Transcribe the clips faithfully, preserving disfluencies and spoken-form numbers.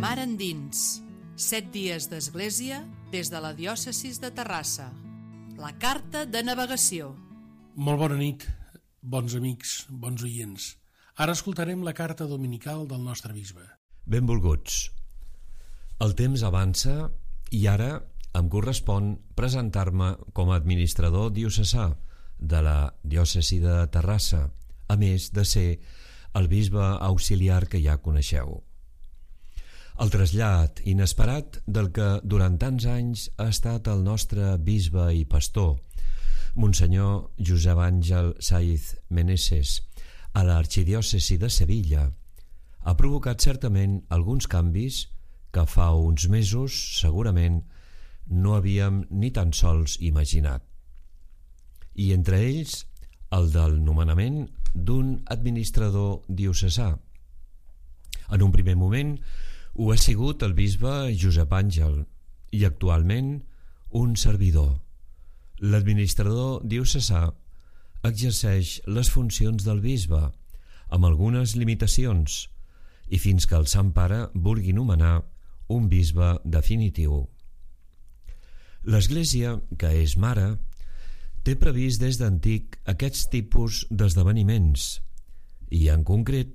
Mar endins, set dies d'església des de la diòcesi de Terrassa. La carta de navegació. Molt bona nit, bons amics, bons oients. Ara escoltarem la carta dominical del nostre bisbe. Benvolguts. El temps avança i ara em correspon presentar-me com a administrador diocesà de la diòcesi de Terrassa, a més de ser el bisbe auxiliar que ja coneixeu. El trasllat inesperat del que durant tants anys ha estat el nostre bisbe i pastor, Monsenyor Josep Àngel Saiz Meneses, a l'arxidiòcesi de Sevilla, ha provocat certament alguns canvis que fa uns mesos segurament no havíem ni tan sols imaginat. I entre ells el del nomenament d'un administrador diocesà. En un primer moment ho ha sigut el bisbe Josep Àngel i actualment un servidor. L'administrador diocesà exerceix les funcions del bisbe amb algunes limitacions i fins que el Sant Pare vulgui nomenar un bisbe definitiu. L'Església, que és mare, té previst des d'antic aquests tipus d'esdeveniments i, en concret,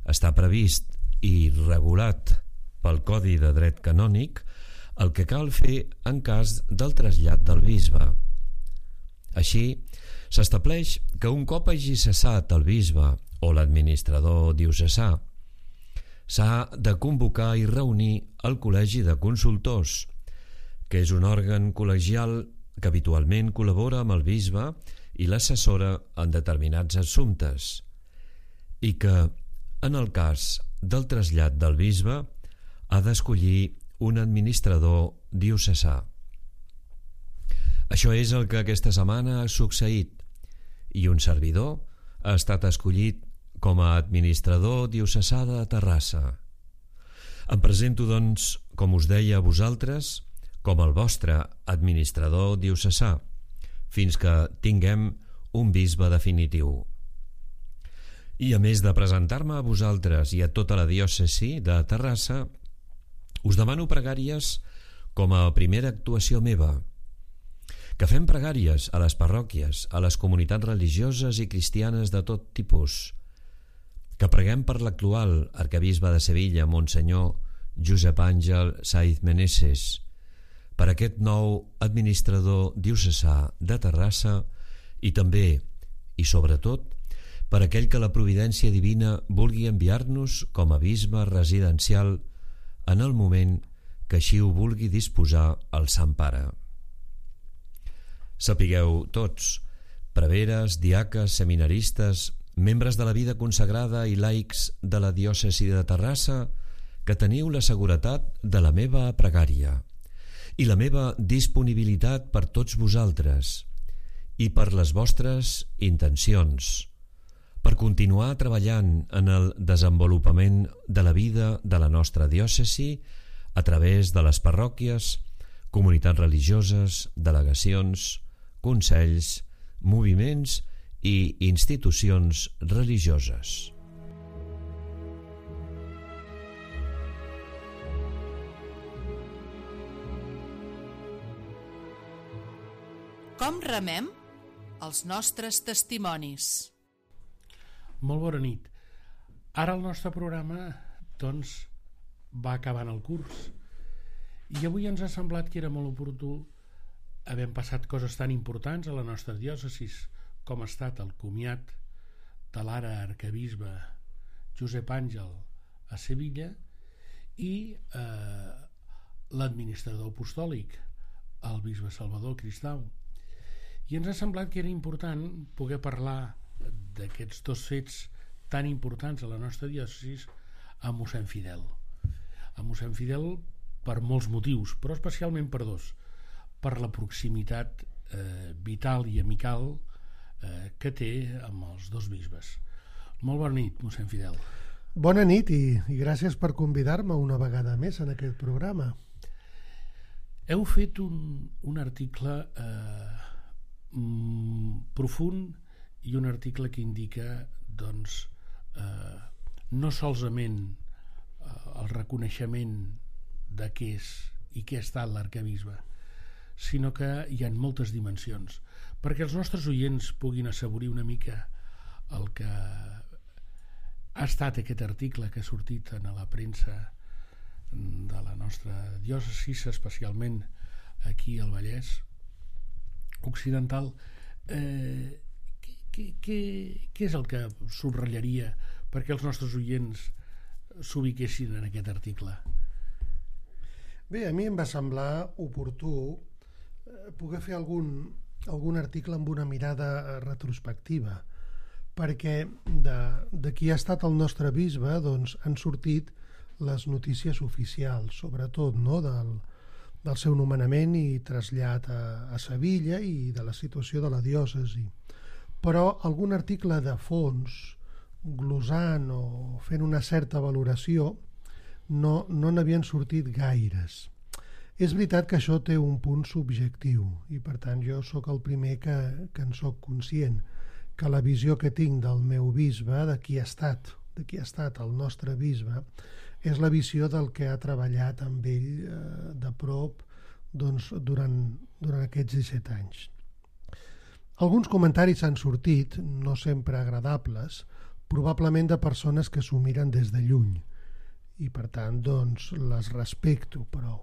està previst i regulat pel Codi de Dret Canònic el que cal fer en cas del trasllat del bisbe. Així, s'estableix que un cop hagi cessat el bisbe o l'administrador diocesà, s'ha de convocar i reunir el Col·legi de Consultors, que és un òrgan col·legial que habitualment col·labora amb el bisbe i l'assessora en determinats assumptes, i que, en el cas del trasllat del bisbe, ha d'escollir un administrador diocesà. Això és el que aquesta setmana ha succeït i un servidor ha estat escollit com a administrador diocesà de Terrassa. Em presento, doncs, com us deia a vosaltres, com el vostre administrador diocesà, fins que tinguem un bisbe definitiu. I a més de presentar-me a vosaltres i a tota la diòcesi de Terrassa, us demano pregàries com a primera actuació meva, que fem pregàries a les parròquies, a les comunitats religioses i cristianes de tot tipus, que preguem per l'actual arquebisbe de Sevilla, Monsenyor Josep Àngel Saiz Meneses, per aquest nou administrador diocesà de Terrassa i també, i sobretot, per aquell que la providència divina vulgui enviar-nos com a bisbe residencial en el moment que així ho vulgui disposar el Sant Pare. Sapigueu tots, preveres, diaques, seminaristes, membres de la vida consagrada i laics de la diòcesi de Terrassa, que teniu la seguretat de la meva pregària i la meva disponibilitat per tots vosaltres i per les vostres intencions, per continuar treballant en el desenvolupament de la vida de la nostra diòcesi a través de les parròquies, comunitats religioses, delegacions, consells, moviments i institucions religioses. Com remem els nostres testimonis? Molt bona nit. Ara el nostre programa, doncs, va acabant el curs i avui ens ha semblat que era molt oportú, havent passat coses tan importants a la nostra diòcesi com ha estat el comiat de l'ara arquebisbe Josep Àngel a Sevilla i eh, l'administrador apostòlic, el bisbe Salvador Cristau. I ens ha semblat que era important poder parlar d'aquests dos fets tan importants a la nostra diòcesi amb mossèn Fidel. Amb mossèn Fidel per molts motius, però especialment per dos. Per la proximitat eh, vital i amical eh, que té amb els dos bisbes. Molt bona nit, mossèn Fidel. Bona nit i, i gràcies per convidar-me una vegada més en aquest programa. Heu fet un, un article eh, mm, profund i un article que indica doncs, eh, no solament eh, el reconeixement de què és i què ha estat l'arquebisbe, sinó que hi ha moltes dimensions, perquè els nostres oients puguin assaborir una mica el que ha estat aquest article que ha sortit en la premsa de la nostra diòcesi, especialment aquí al Vallès Occidental. eh, què, què, què és el que subratllaria perquè els nostres oients s'ubiquessin en aquest article? Bé, a mi em va semblar oportú eh, poder fer algun, algun article amb una mirada retrospectiva, perquè de, de qui ha estat el nostre bisbe doncs, han sortit les notícies oficials, sobretot, no?, del, del seu nomenament i trasllat a, a Sevilla i de la situació de la diòcesi. Però algun article de fons, glosant o fent una certa valoració, no, no n'havien sortit gaires. És veritat que això té un punt subjectiu i, per tant, jo sóc el primer que, que en sóc conscient, que la visió que tinc del meu bisbe, de qui ha estat, de qui ha estat el nostre bisbe, és la visió del que ha treballat amb ell eh, de prop doncs, durant, durant aquests disset anys. Alguns comentaris han sortit, no sempre agradables, probablement de persones que s'ho miren des de lluny i per tant doncs, les respecto, però,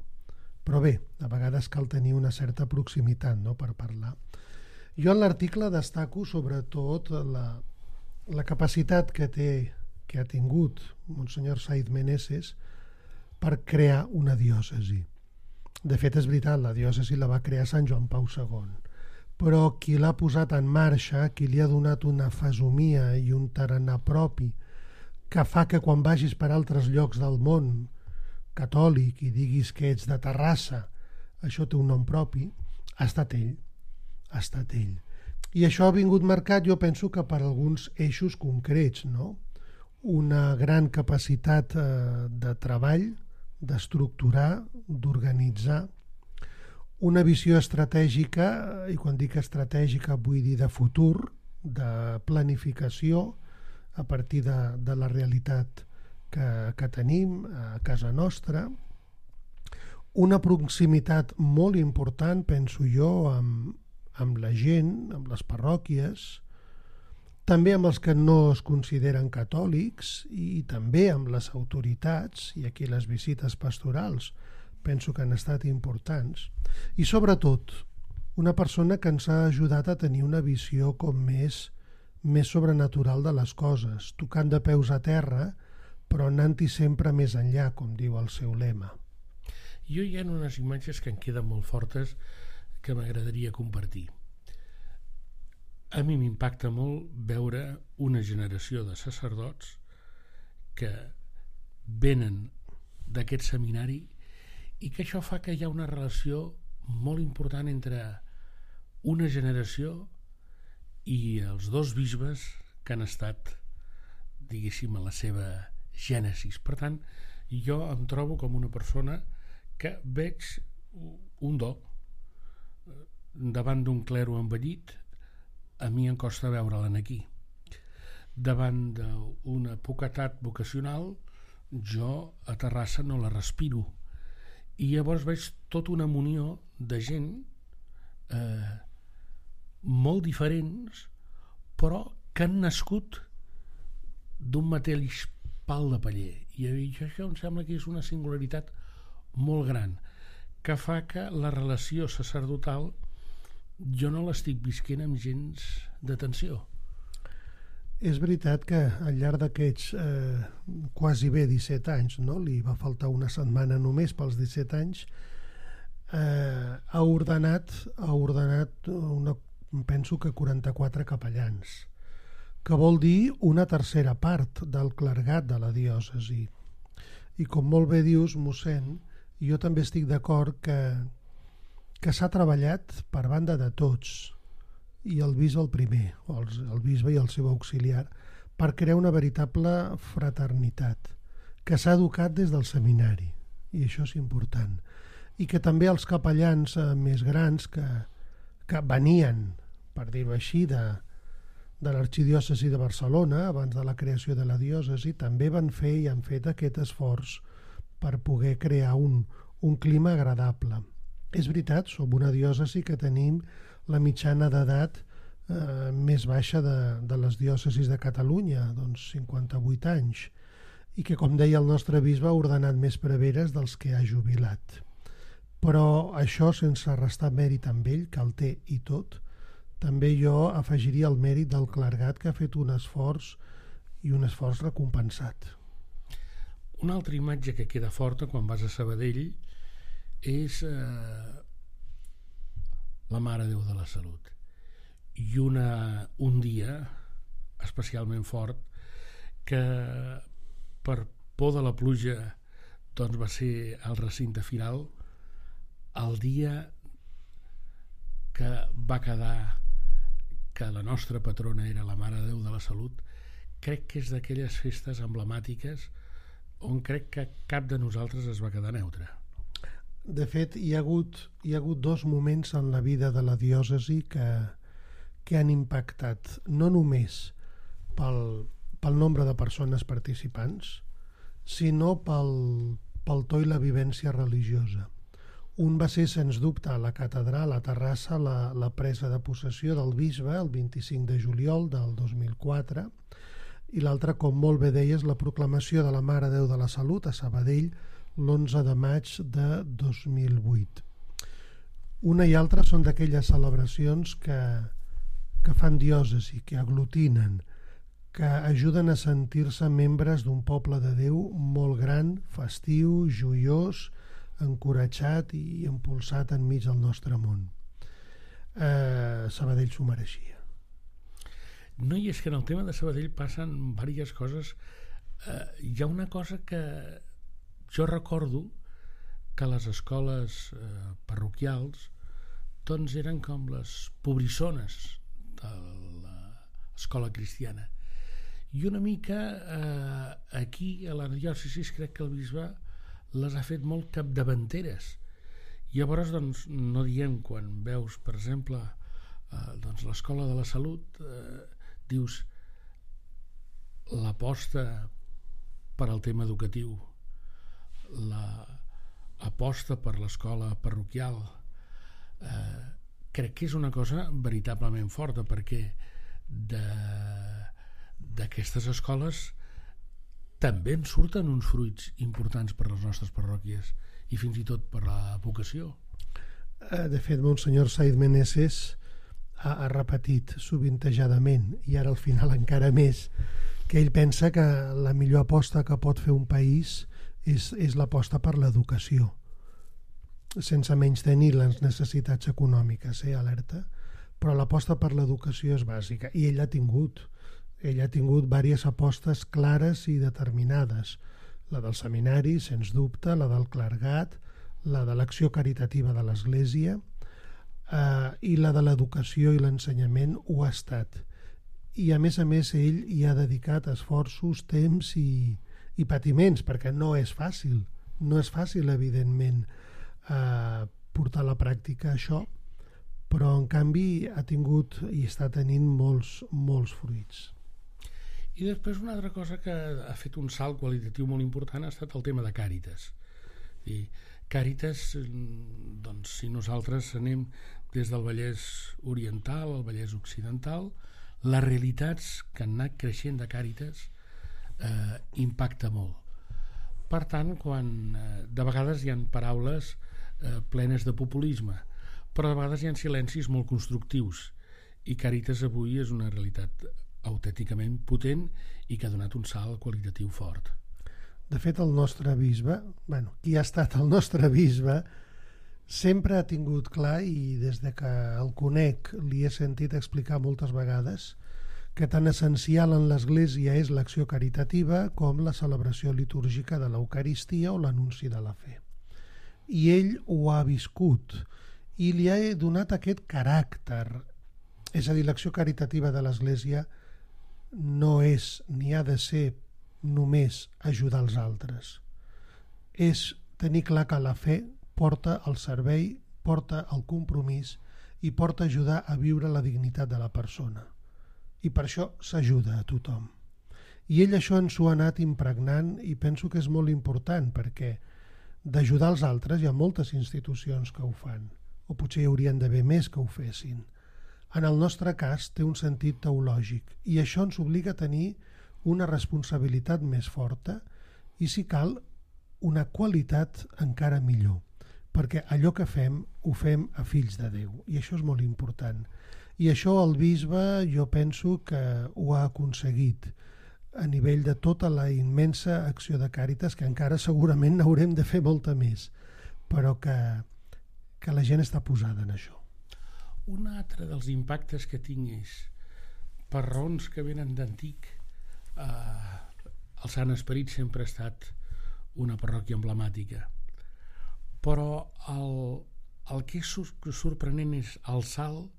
però bé, a vegades cal tenir una certa proximitat, no?, per parlar. Jo en l'article destaco sobretot la, la capacitat que té que ha tingut Monsenyor Saiz Meneses per crear una diòcesi. De fet, és veritat, la diòcesi la va crear Sant Joan Pau segon, però qui l'ha posat en marxa, qui li ha donat una fesomia i un tarannà propi, que fa que quan vagis per altres llocs del món catòlic i diguis que ets de Terrassa, això té un nom propi, ha estat ell, ha estat ell. I això ha vingut marcat, jo penso que per alguns eixos concrets, no?, una gran capacitat eh, de treball, d'estructurar, d'organitzar, una visió estratègica, i quan dic estratègica vull dir de futur, de planificació a partir de, de la realitat que, que tenim a casa nostra, una proximitat molt important, penso jo, amb, amb la gent, amb les parròquies, també amb els que no es consideren catòlics i també amb les autoritats, i aquí les visites pastorals penso que han estat importants, i sobretot una persona que ens ha ajudat a tenir una visió com més, més sobrenatural de les coses, tocant de peus a terra, però anant-hi sempre més enllà, com diu el seu lema. Jo hi ha unes imatges que em queden molt fortes que m'agradaria compartir. A mi m'impacta molt veure una generació de sacerdots que venen d'aquest seminari i que això fa que hi ha una relació molt important entre una generació i els dos bisbes que han estat, diguéssim, a la seva gènesis. Per tant, jo em trobo com una persona que veig un do davant d'un clero envellit. A mi em costa veure'l aquí. Davant d'una poquetat vocacional, jo a Terrassa no la respiro. I llavors veig tota una munió de gent eh, molt diferents, però que han nascut d'un mateix pal de paller. I això em sembla que és una singularitat molt gran, que fa que la relació sacerdotal jo no l'estic visquent amb gens d'atenció. És veritat que al llarg d'aquests eh, quasi bé disset anys, no? Li va faltar una setmana només pels disset anys, eh, ha ordenat, ha ordenat una, penso que quaranta-quatre capellans, que vol dir una tercera part del clergat de la diòcesi. I com molt bé dius, mossèn, jo també estic d'acord que que s'ha treballat per banda de tots, i el bisbe el primer, o el, el bisbe i el seu auxiliar, per crear una veritable fraternitat, que s'ha educat des del seminari, i això és important, i que també els capellans eh, més grans que, que venien, per dir-ho així, de, de l'arxidiòcesi de Barcelona, abans de la creació de la diòcesi, també van fer i han fet aquest esforç per poder crear un, un clima agradable. És veritat, som una diòcesi que tenim la mitjana d'edat eh, més baixa de, de les diòcesis de Catalunya, doncs cinquanta-vuit anys, i que, com deia el nostre bisbe, ha ordenat més preveres dels que ha jubilat. Però això, sense restar mèrit amb ell, que el té i tot, també jo afegiria el mèrit del clergat, que ha fet un esforç i un esforç recompensat. Una altra imatge que queda forta quan vas a Sabadell és eh, la Mare Déu de la Salut. I una, un dia especialment fort que per por de la pluja doncs va ser al recinte firal, el dia que va quedar que la nostra patrona era la Mare de Déu de la Salut. Crec que és d'aquelles festes emblemàtiques on crec que cap de nosaltres es va quedar neutre. De fet, hi ha hagut, hi ha hagut dos moments en la vida de la diòcesi que, que han impactat no només pel, pel nombre de persones participants, sinó pel, pel to i la vivència religiosa. Un va ser, sens dubte, a la catedral, a Terrassa, la, la presa de possessió del bisbe el vint-i-cinc de juliol del dos mil quatre, i l'altre, com molt bé deies, la proclamació de la Mare Déu de la Salut a Sabadell l'onze de maig de dos mil vuit. Una i altra són d'aquelles celebracions que, que fan diòcesi, que aglutinen, que ajuden a sentir-se membres d'un poble de Déu molt gran, festiu, joiós, encoratjat i impulsat enmig del nostre món. Eh, Sabadell s'ho mereixia. No, i és que en el tema de Sabadell passen diverses coses. Eh, hi ha una cosa que jo recordo, que les escoles eh, parroquials doncs eren com les pobrissones de l'escola cristiana. I una mica eh, aquí a la diòcesi crec que el bisbe les ha fet molt capdavanteres. I llavors doncs, no diem, quan veus per exemple eh, doncs, l'escola de la salut, eh, dius l'aposta per al tema educatiu, l'aposta per l'escola parroquial, eh, crec que és una cosa veritablement forta, perquè de d'aquestes escoles també en surten uns fruits importants per les nostres parròquies i fins i tot per la vocació. De fet, Monsenyor Saiz Meneses ha, ha repetit sovintejadament, i ara al final encara més, que ell pensa que la millor aposta que pot fer un país és, és l'aposta per l'educació, sense menys tenir les necessitats econòmiques, eh, alerta, però l'aposta per l'educació és bàsica, i ell ha tingut ell ha tingut diverses apostes clares i determinades, la del seminari, sens dubte, la del clergat, la de l'acció caritativa de l'Església, eh, i la de l'educació i l'ensenyament ho ha estat. I a més a més ell hi ha dedicat esforços, temps i, i patiments, perquè no és fàcil, no és fàcil evidentment eh, portar a la pràctica això, però en canvi ha tingut i està tenint molts, molts fruits. I després una altra cosa que ha fet un salt qualitatiu molt important ha estat el tema de Càritas. I Càritas, doncs, si nosaltres anem des del Vallès Oriental al Vallès Occidental, les realitats que han anat creixent de Càritas eh, impacta molt. Per tant, quan eh, de vegades hi ha paraules eh, plenes de populisme, però de vegades hi ha silencis molt constructius, i Càritas avui és una realitat autènticament potent i que ha donat un salt qualitatiu fort. De fet, el nostre bisbe, bueno, qui ha estat el nostre bisbe, sempre ha tingut clar, i des de que el conec li he sentit explicar moltes vegades, que tan essencial en l'Església és l'acció caritativa com la celebració litúrgica de l'Eucaristia o l'anunci de la fe. I ell ho ha viscut i li ha donat aquest caràcter. És a dir, l'acció caritativa de l'Església no és ni ha de ser només ajudar els altres. És tenir clar que la fe porta el servei, porta el compromís i porta a ajudar a viure la dignitat de la persona. I per això s'ajuda a tothom. I ell això ens ho ha anat impregnant i penso que és molt important perquè d'ajudar els altres hi ha moltes institucions que ho fan, o potser hi haurien d'haver més que ho fessin. En el nostre cas té un sentit teològic i això ens obliga a tenir una responsabilitat més forta i, si cal, una qualitat encara millor, perquè allò que fem ho fem a fills de Déu i això és molt important. I això el bisbe jo penso que ho ha aconseguit a nivell de tota la immensa acció de Càritas, que encara segurament n'haurem de fer molta més, però que, que la gent està posada en això. Un altre dels impactes que tinc és, per raons que venen d'antic, eh, el Sant Esperit sempre ha estat una parròquia emblemàtica, però el, el que és sorprenent és el salt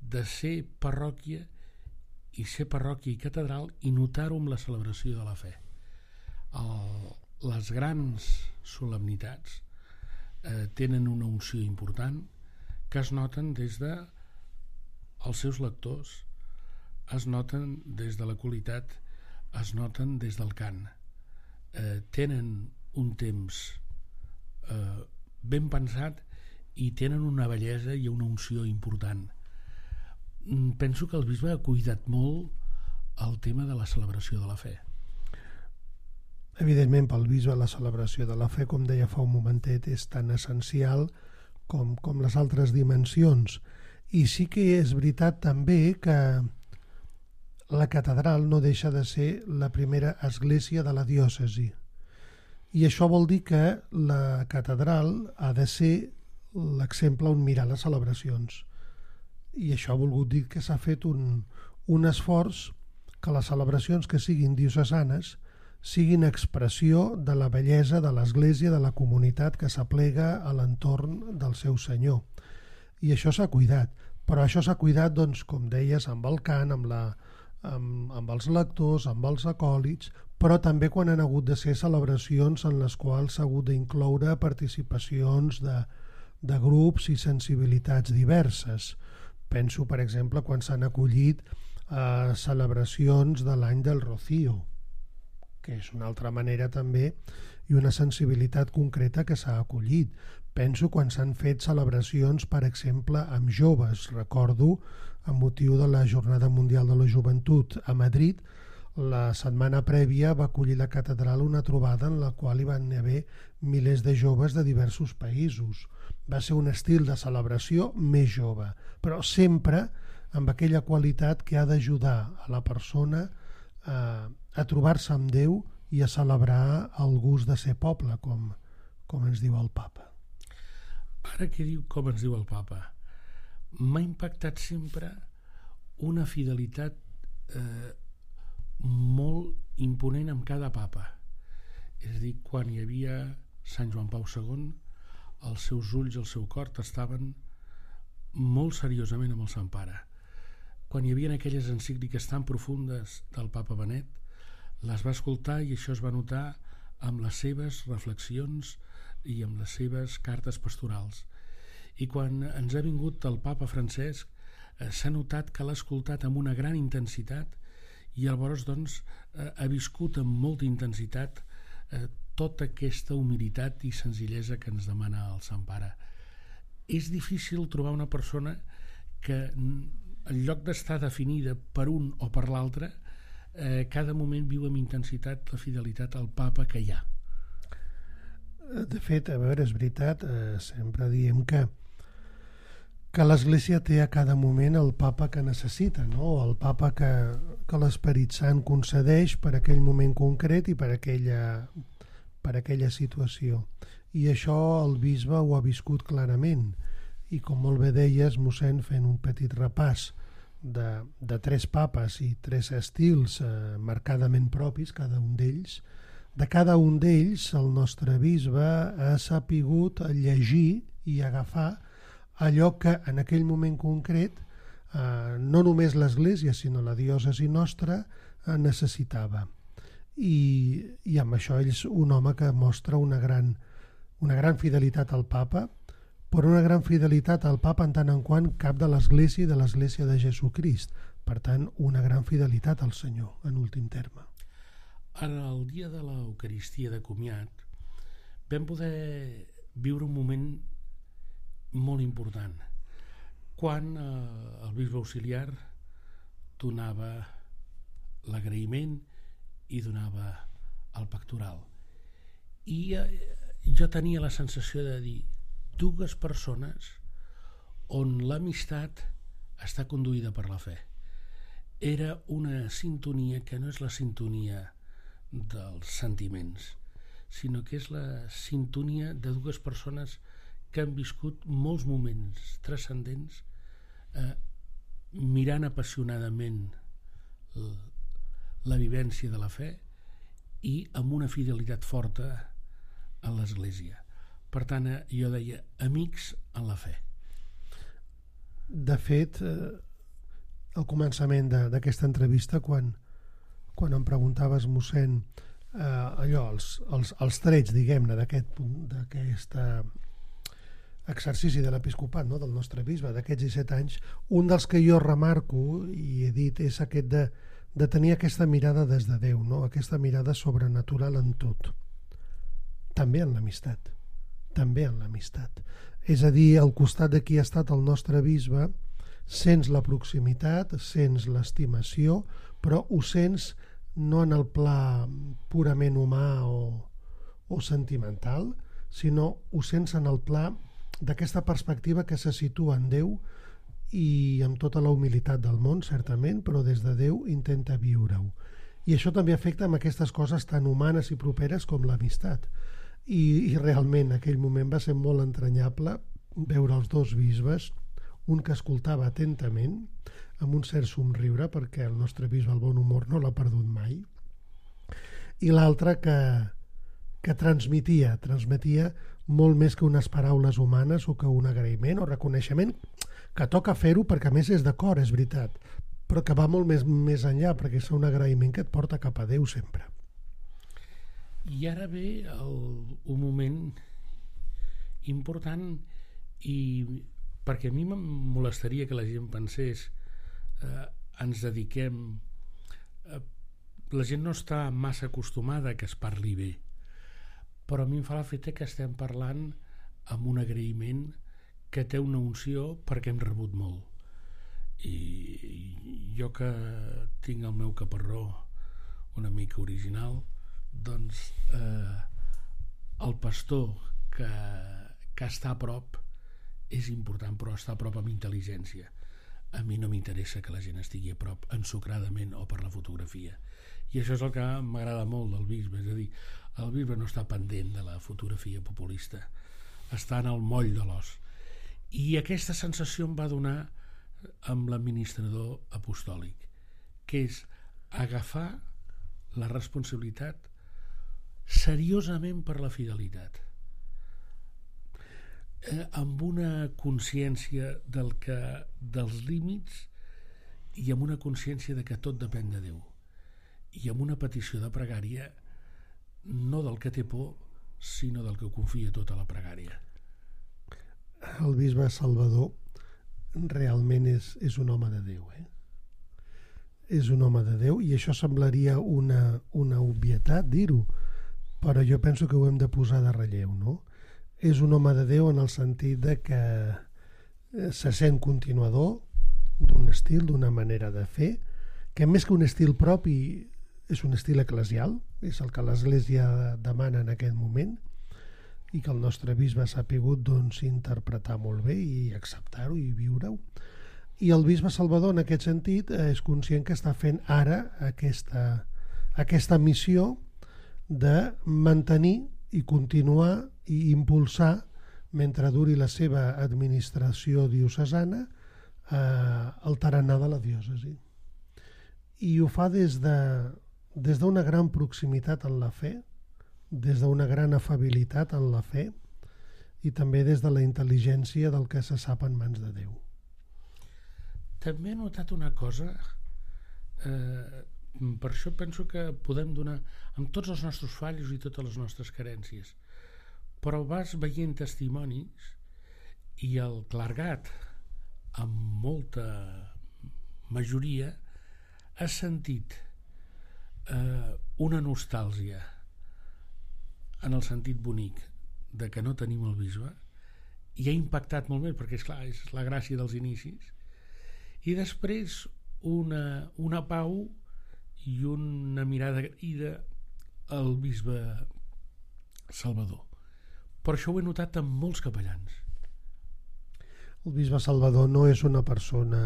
de ser parròquia i ser parròquia i catedral i notar-ho amb la celebració de la fe. El, les grans solemnitats eh, tenen una unció important que es noten des de els seus lectors, es noten des de la qualitat, es noten des del cant. Eh, tenen un temps eh, ben pensat i tenen una bellesa i una unció important. Penso que el bisbe ha cuidat molt el tema de la celebració de la fe. Evidentment, pel bisbe la celebració de la fe, com deia fa un momentet, és tan essencial com, com les altres dimensions. I sí que és veritat també que la catedral no deixa de ser la primera església de la diòcesi. I això vol dir que la catedral ha de ser l'exemple on mirar les celebracions. I això ha volgut dir que s'ha fet un, un esforç que les celebracions que siguin diocesanes siguin expressió de la bellesa de l'Església, de la comunitat que s'aplega a l'entorn del seu Senyor. I això s'ha cuidat, però això s'ha cuidat, doncs, com deies, amb el cant, amb, la, amb, amb els lectors, amb els acòlits, però també quan han hagut de ser celebracions en les quals s'ha hagut d'incloure participacions de, de grups i sensibilitats diverses. Penso, per exemple, quan s'han acollit eh, celebracions de l'any del Rocío, que és una altra manera també i una sensibilitat concreta que s'ha acollit. Penso quan s'han fet celebracions, per exemple, amb joves. Recordo, amb motiu de la Jornada Mundial de la Joventut a Madrid, la setmana prèvia va acollir la catedral una trobada en la qual hi van haver milers de joves de diversos països. Va ser un estil de celebració més jove, però sempre amb aquella qualitat que ha d'ajudar a la persona a, a trobar-se amb Déu i a celebrar el gust de ser poble, com, com ens diu el papa. Ara que diu com ens diu el papa, m'ha impactat sempre una fidelitat eh, molt imponent amb cada papa. És a dir, quan hi havia Sant Joan Pau segon, els seus ulls i el seu cor estaven molt seriosament amb el Sant Pare. Quan hi havia aquelles encícliques tan profundes del papa Benet, les va escoltar i això es va notar amb les seves reflexions i amb les seves cartes pastorals. I quan ens ha vingut el papa Francesc, eh, s'ha notat que l'ha escoltat amb una gran intensitat i llavors doncs, eh, ha viscut amb molta intensitat eh, tota aquesta humilitat i senzillesa que ens demana el Sant Pare. És difícil trobar una persona que, en lloc d'estar definida per un o per l'altre, eh, cada moment viu amb intensitat la fidelitat al papa que hi ha. De fet, a veure, és veritat, eh, sempre diem que que l'Església té a cada moment el papa que necessita, no? El papa que, que l'Esperit Sant concedeix per aquell moment concret i per aquella, per aquella situació. I això el bisbe ho ha viscut clarament. I com molt bé deies, mossèn, fent un petit repàs de, de tres papes i tres estils eh, marcadament propis, cada un d'ells, de cada un d'ells el nostre bisbe ha sapigut llegir i agafar allò que en aquell moment concret eh, no només l'Església sinó la diòcesi nostra eh, necessitava. I, i amb això ell és un home que mostra una gran, una gran fidelitat al papa, però una gran fidelitat al papa en tant en quant cap de l'Església i de l'Església de Jesucrist. Per tant, una gran fidelitat al Senyor, en últim terme. en el dia de l'Eucaristia de comiat vam poder viure un moment molt important quan eh, el bisbe auxiliar donava l'agraïment i donava el pectoral i eh, jo tenia la sensació de dir dues persones on l'amistat està conduïda per la fe. Era una sintonia que no és la sintonia dels sentiments, sinó que és la sintonia de dues persones que han viscut molts moments transcendents eh, mirant apassionadament la vivència de la fe i amb una fidelitat forta a l'Església. Per tant, jo deia amics en la fe. De fet, eh, al començament d'aquesta entrevista, quan, quan em preguntaves, mossèn, eh, allò, els, els, els trets, diguem-ne, d'aquest d'aquest exercici de l'episcopat, no?, del nostre bisbe, d'aquests disset anys, un dels que jo remarco i he dit és aquest de, de tenir aquesta mirada des de Déu, no?, aquesta mirada sobrenatural en tot, també en l'amistat, també en l'amistat. És a dir, al costat de qui ha estat el nostre bisbe, sents la proximitat, sents l'estimació, però ho sents no en el pla purament humà o, o sentimental, sinó ho sents en el pla d'aquesta perspectiva que se situa en Déu i amb tota la humilitat del món, certament, però des de Déu intenta viure-ho. I això també afecta amb aquestes coses tan humanes i properes com l'amistat. I, i realment aquell moment va ser molt entranyable veure els dos bisbes, un que escoltava atentament amb un cert somriure perquè el nostre bisbe el bon humor no l'ha perdut mai, i l'altre que, que transmetia transmetia molt més que unes paraules humanes o que un agraïment o reconeixement, que toca fer-ho perquè a més és d'acord, és veritat, però que va molt més, més enllà perquè és un agraïment que et porta cap a Déu sempre. I ara ve el, un moment important i perquè a mi em molestaria que la gent pensés eh, ens dediquem eh, la gent no està massa acostumada que es parli bé, però a mi em fa l'efecte que estem parlant amb un agraïment que té una unció perquè hem rebut molt i jo que tinc el meu caparró una mica original, doncs eh, el pastor que, que està a prop és important, però està a prop amb intel·ligència. A mi no m'interessa que la gent estigui a prop ensucradament o per la fotografia, i això és el que m'agrada molt del bisbe, és a dir, el bisbe no està pendent de la fotografia populista, està en el moll de l'os, i aquesta sensació em va donar amb l'administrador apostòlic, que és agafar la responsabilitat seriosament per la fidelitat, eh, amb una consciència del que, dels límits i amb una consciència de que tot depèn de Déu i amb una petició de pregària no del que té por sinó del que confia tota la pregària. El bisbe Salvador realment és, és un home de Déu, eh? És un home de Déu, i això semblaria una, una obvietat dir-ho, però jo penso que ho hem de posar de relleu, no? És un home de Déu en el sentit de que se sent continuador d'un estil, d'una manera de fer, que més que un estil propi és un estil eclesial, és el que l'Església demana en aquest moment, i que el nostre bisbe s'ha pogut doncs, interpretar molt bé i acceptar-ho i viure-ho. I el bisbe Salvador en aquest sentit és conscient que està fent ara aquesta, aquesta missió de mantenir i continuar i impulsar mentre duri la seva administració diocesana eh, el tarannà de la diòcesi. I ho fa des de, des d'una gran proximitat en la fe, des d'una gran afabilitat en la fe i també des de la intel·ligència del que se sap en mans de Déu. També he notat una cosa, eh, per això penso que podem donar amb tots els nostres fallos i totes les nostres carències, però vas veient testimonis i el clergat amb molta majoria ha sentit eh, una nostàlgia en el sentit bonic de que no tenim el bisbe, i ha impactat molt més, perquè és clar, és la gràcia dels inicis, i després una, una pau i una mirada agraïda al bisbe Salvador. Per això ho he notat en molts capellans. El bisbe Salvador no és una persona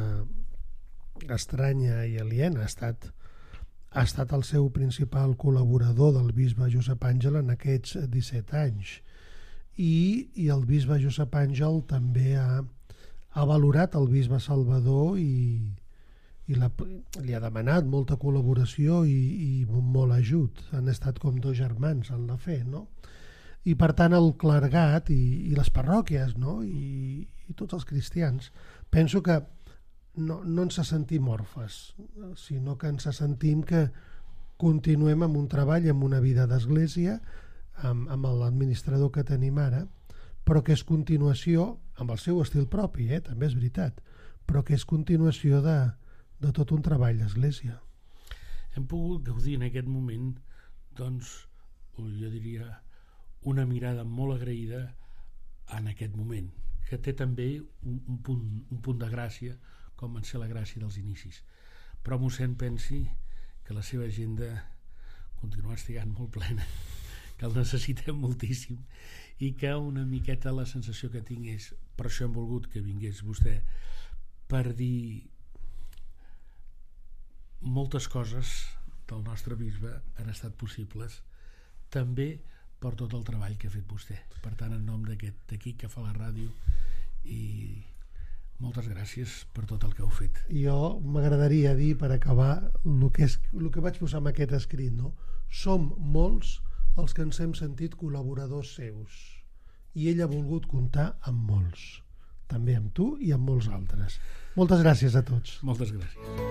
estranya i aliena, ha estat, ha estat el seu principal col·laborador del bisbe Josep Àngel en aquests disset anys. I, i el bisbe Josep Àngel també ha, ha valorat el bisbe Salvador i, i la, li ha demanat molta col·laboració i, i molt ajut. Han estat com dos germans en la fe, no? I per tant el clergat i, i les parròquies, no? I, i tots els cristians, penso que no, no ens sentim orfes, sinó que ens sentim que continuem amb un treball, amb una vida d'església, amb, amb l'administrador que tenim ara, però que és continuació, amb el seu estil propi, eh? També és veritat, però que és continuació de, de tot un treball d'església. Hem pogut gaudir en aquest moment, doncs, jo diria, una mirada molt agraïda en aquest moment, que té també un, un, punt, un punt de gràcia, com en ser la gràcia dels inicis. Però mossèn pensi que la seva agenda continua estigant molt plena, que el necessitem moltíssim, i que una miqueta la sensació que tinc és, per això hem volgut que vingués vostè, per dir moltes coses del nostre bisbe han estat possibles també per tot el treball que ha fet vostè. Per tant, en nom d'aquest equip que fa la ràdio, i moltes gràcies per tot el que heu fet. Jo m'agradaria dir, per acabar, el que, és, el que vaig posar en aquest escrit, no? Som molts els que ens hem sentit col·laboradors seus, i ell ha volgut comptar amb molts, també amb tu i amb molts altres. Moltes gràcies a tots. Moltes gràcies.